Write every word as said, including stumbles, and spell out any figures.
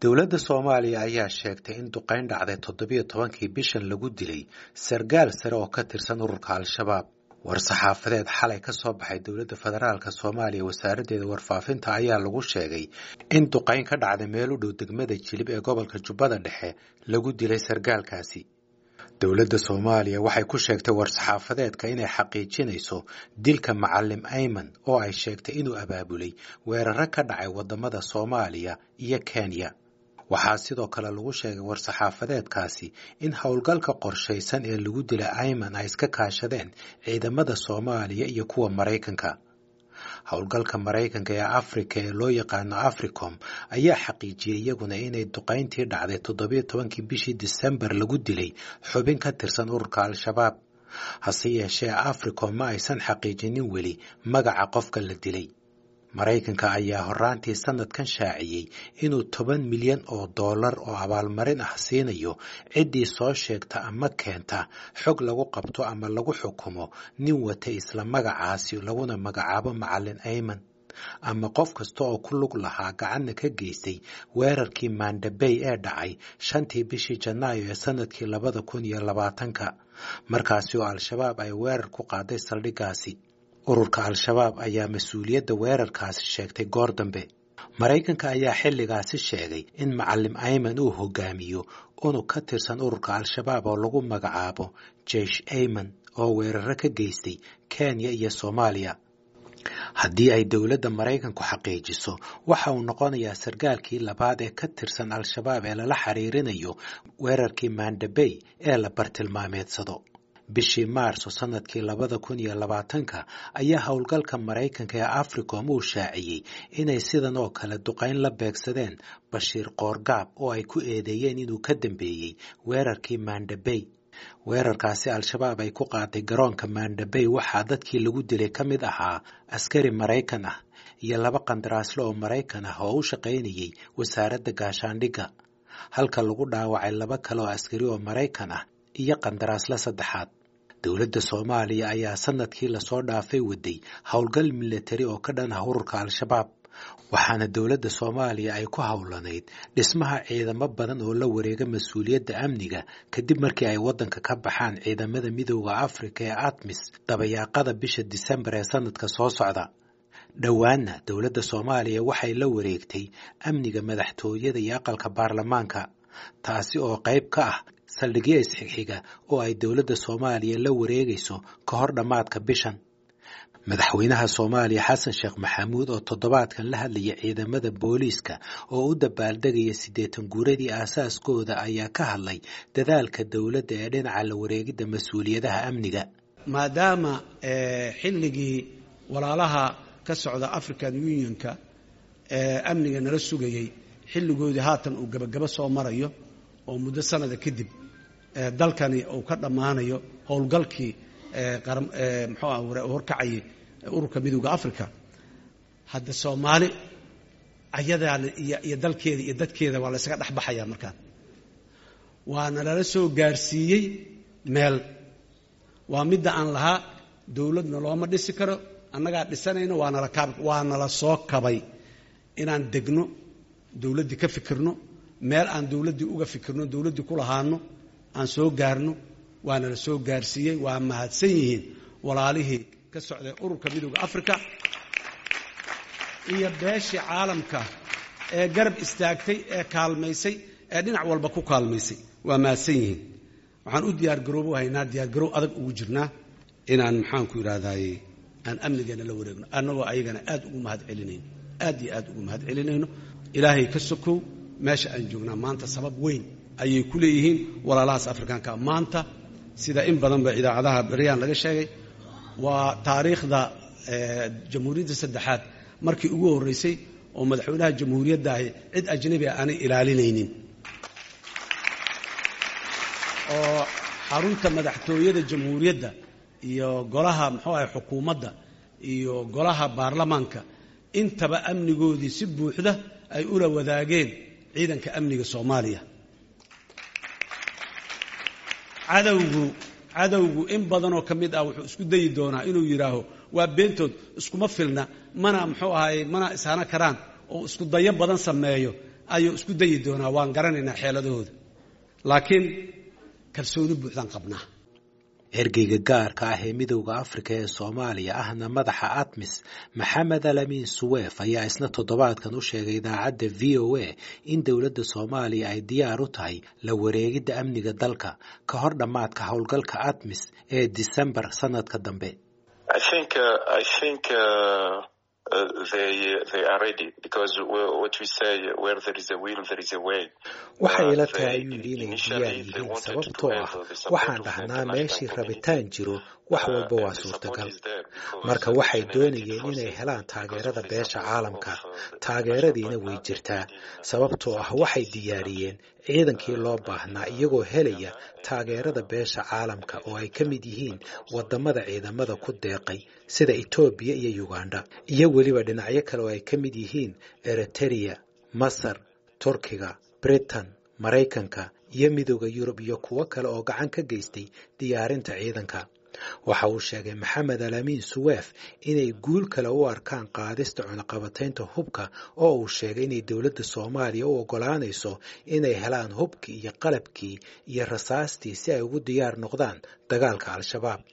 Dowladda Soomaaliya ayaa sheegtay in duqeyn dhacday toddobiyo tobankii bishan lagu dilay sargaal sare oo ka tirsan ururka Al-Shabaab. War-saxaafadeed xalay ka soo baxay dowladda federaalka Soomaaliya wasaaraddeeda warfaafinta ayaa lagu sheegay in duqeyn ka dhacday meel u dhow degmada Jilib ee gobolka Jubbada Dhexe lagu dilay sargaalkaasi. Dowladda Soomaaliya waxay ku sheegtay war-saxaafadeedka inay xaqiijinayso dilka Macallim Ayman oo ay sheegtay inuu abaabulay weeraro ka dhacay waddamada Soomaaliya iyo Kenya. Waxaa sidoo kale lagu sheegay war-saxaafadeedkaasi in howlgalka qorshaysan ee lagu dilay Ayman ay iska kaashadeen ciidamada Soomaaliya iyo kuwa Maraykanka. Howlgalka Maraykanka ee Afrika ee loo yaqaano Africom ayaa xaqiijiyey iyaguna inay duqeyntii dhacday toddobiyo tobankii bishii Disembar lagu dilay xubin ka tirsan ururka Al-Shabaab. Hase yeeshee Africom ma aysan xaqiijinin weli magaca qofka la dilay. Maraykanka ayaa horraantii sanadkan shaaciyey inuu toban milyan oo dollar oo abaalmarin ah siinayo ciddii soo sheegta ama keenta xog lagu qabto ama lagu xukumo nin watay isla magacaasi laguna magacaabo Macallin Ayman ama qof kasta oo ku lug lahaa gacanna ka geystay weerarkii Mandabey ee dhacay shantii bishii Janaayo ee sanadkii labada kun iyo labaatanka, markaasi oo Al-Shabaab ay weerar ku qaaday saldhiggaasi. Ururka Al-Shabaab ayaa mas-uuliyadda weerarkaasi sheegtay goor dambe. Maraykanka ayaa xilligaasi sheegay in Macallim Ayman uu hogaamiyo unug ka tirsan ururka Al-Shabaab oo lagu magacaabo Jeish Ayman oo weeraro ka geystay Kenya iyo Soomaaliya. Haddii ay dowladda Maraykanku xaqiijiso, waxa uu noqonayaa sargaalkii labaad ee ka tirsan Al-Shabaab ee lala xiriirinayo weerarkii Mandabey ee la bartilmaameedsado. Bishii Maarso sanadkii labada kun iyo labaatanka ayaa howlgalka Maraykanka ee Africom uu shaaciyey inay sidan oo kale duqeyn la beegsadeen Bashiir Qoorgaab oo ay ku eedeeyeen inuu ka dambeeyey weerarkii Mandabey. Weerarkaasi Al-Shabaab ay ku qaaday garoonka Mandabey waxaa dadkii lagu dilay ka mid ahaa askari Maraykan ah iyo laba qandaraasle oo Maraykan ah oo u shaqaynayay wasaaradda gaashaandhigga, halka lagu dhaawacay laba kale oo askari oo Maraykan ah iyo qandaraasle saddexaad. Dowladda Soomaaliya ayaa sanadkii lasoo dhaafay waday howlgal milatari oo ka dhan ah ururka Al-Shabaab, waxaana dowladda Soomaaliya ay ku howlanayd dhismaha ciidamo badan oo la wareega mas-uuliyadda amniga kadib markii ay waddanka ka baxaan ciidamada Midowda Afrika ee ATMIS dabayaaqada bisha Disembar ee sanadka soo socda. Dhowaanna dowladda Soomaaliya waxay la wareegtay amniga madaxtooyada iyo aqalka baarlamaanka, taasi oo qayb ka ah saldhigyo isxigxiga oo ay dowladda Soomaaliya la wareegayso ka hor dhammaadka bishan. Madaxweynaha Soomaaliya Xasan Sheekh Maxamuud oo toddobaadkan la hadlaya ciidamada booliiska oo u dabaaldegaya siddeetan guuradii aasaaskooda ayaa ka hadlay dadaalka dowladda ee dhinaca la wareegidda mas-uuliyadaha amniga. Maadaama xilligii walaalaha ka socda African Unionka ee amniga nala sugayey xilligoodii haatan uu gabagabo soo marayo oo muddo sanada kadib dalkani uu ka dhammaanayo howlgalkii muxuu ah horkacayay ururka Midowda Africa, hadda Soomaali ayadaa iyo dalkeeda iyo dadkeeda waa la ysaga dhex baxayaa. Markaan waana lala soo gaarsiiyey meel waa midda aan lahaa dowladna looma dhisi karo, annagaa dhisanayno, waanala kaab waanala soo kabay inaan degno dowladdii ka fikirno meel aan dowladdii uga fikirno dowladdii ku lahaano aan soo gaarno, waana la soo gaarsiiyey. Waa mahadsan yihiin walaalihii ka socday ururka Midowda Africa iyo beeshii caalamka ee garab istaagtay ee kaalmaysay ee dhinac walba ku kaalmaysay, waa mahadsan yihiin. Waxaan u diyaargaroobo haynaa, diyaargarow adag ugu jirnaa inaan maxaanku idhaahdaye aan amnigeena la wareegno, annagoo ayagana aad ugu mahad celinayno, aad iyo aad ugu mahad celinayno. Ilaahay ka sokow meesha aan joognaa maanta sabab weyn ayay ku leeyihiin walaalahaas Afrikaanka. Maanta sida in badanba idaacadaha beryaan laga sheegay, waa taariikhda jamhuuriyadda saddexaad markii ugu horreysay oo madaxweynaha jamhuuriyadda ahi cid ajnabi ah aanay ilaalinaynin, oo xarunta madaxtooyada jamhuuriyadda iyo golaha muxuu ahay xukuumadda iyo golaha baarlamaanka intaba amnigoodii si buuxda ay ula wadaageen ciidanka amniga Soomaaliya. Cadowgu cadowgu in badanoo ka mid ah wuxuu isku dayi doonaa inuu yidhaaho waa beentood, iskuma filna, mana muxuu ahaye mana ishana karaan, oo isku dayo badan sameeyo. Ayuu isku dayi doonaa, waan garanaynaa xeeladahooda, laakiin kalsooni buuxdaan qabnaa. Ergeyga gaarka ah ee Midowda Afrika ee Soomaaliya, ahna madaxa ATMIS, Maxamed Alamin Suweef, ayaa isna toddobaadkan u sheegay idaacadda V O A in dowladda Soomaaliya ay diyaar u tahay la wareegidda amniga dalka ka hor dhammaadka howlgalka ATMIS ee Disembar sanadka dambe. Waxay ila tahay, ayuu yidhi, inay diyaar yihiin, sababtoo ah waxaan dhahnaa meeshii rabitaan jiro wax walba waa suurtagal. Marka waxay doonayeen inay helaan taageerada beesha caalamka, taageeradiina way jirtaa, sababtoo ah waxay diyaariyeen ciidankii loo baahnaa iyagoo helaya taageerada beesha caalamka oo ay ka mid yihiin wadamada ciidamada ku deeqay sida Itoobiya iyo Uganda, iyo weliba dhinacyo kale oo ay ka mid yihiin Eritereya, Masar, Turkiga, Britain, Maraykanka iyo Midowda Yurub iyo kuwo kale oo gacan ka geystay diyaarinta ciidanka. Waxa uu sheegay Maxamed Alamin Suweef inay guul kale u arkaan qaadista cunaqabataynta hubka, oo uu sheegay inay dowladda Soomaaliya u oggolaanayso inay helaan hubkii iyo qalabkii iyo rasaastii si ay ugu diyaar noqdaan dagaalka Al-Shabaab.